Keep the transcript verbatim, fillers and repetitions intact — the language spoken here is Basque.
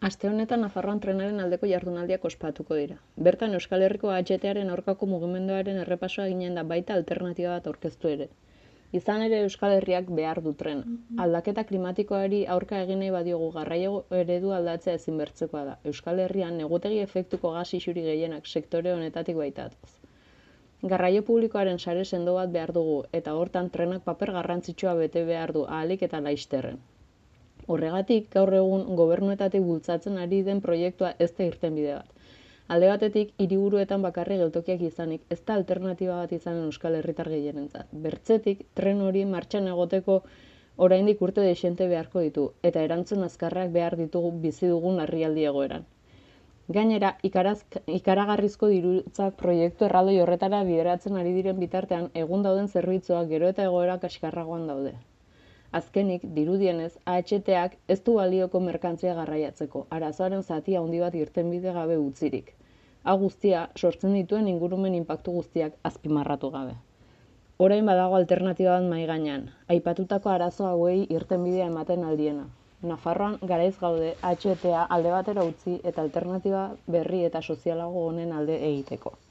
Aste honetan Nafarroan trenaren aldeko jardunaldiak ospatuko dira. Bertan Euskal Herriko A H T-aren aurkako mugimenduaren errepasoa eginen da baita alternatiba bat aurkeztu ere. Izan ere Euskal Herriak behar du trena. Aldaketa klimatikoari aurka egin nahi badiogu garraio eredu aldatzea ezinbertzekoa da. Euskal Herrian negutegi efektuko gas isuri gehienak sektore honetatik baitatoz. Garraio publikoaren sare sendo bat behar dugu eta hortan trenak paper garrantzitsua bete behar du ahalik eta laizterren. Horregatik, gaur egun gobernuetatik bultzatzen ari den proiektua ez da irtenbide bat. Alde batetik, hiriburuetan bakarri geltokiak izanik, ez da alternatiba bat izanen Euskal Herritar gehienentzat. Bertzetik, tren hori martxan egoteko oraindik urte dexente beharko ditu, eta erantzun azkarrak behar ditugu bizi dugun larrialdi egoeran. Gainera, ikaraz, ikaragarrizko dirutzak proiektu erraldoi horretara bideratzen ari diren bitartean, egun dauden zerbitzuak gero eta egoera kaskarragoan daude. Azkenik, dirudienez, A H T-ak ez du balioko merkantzia garraiatzeko, arazoaren zati handi bat irtenbide gabe utzirik. Hau guztia, sortzen dituen ingurumen inpaktu guztiak azpimarratu gabe. Orain badago alternatiba bat mahai gainean, aipatutako arazo hauei irtenbidea ematen aldiena. Nafarroan garaiz gaude A H T-a alde batera utzi eta alternatiba berri eta sozialago honen alde egiteko.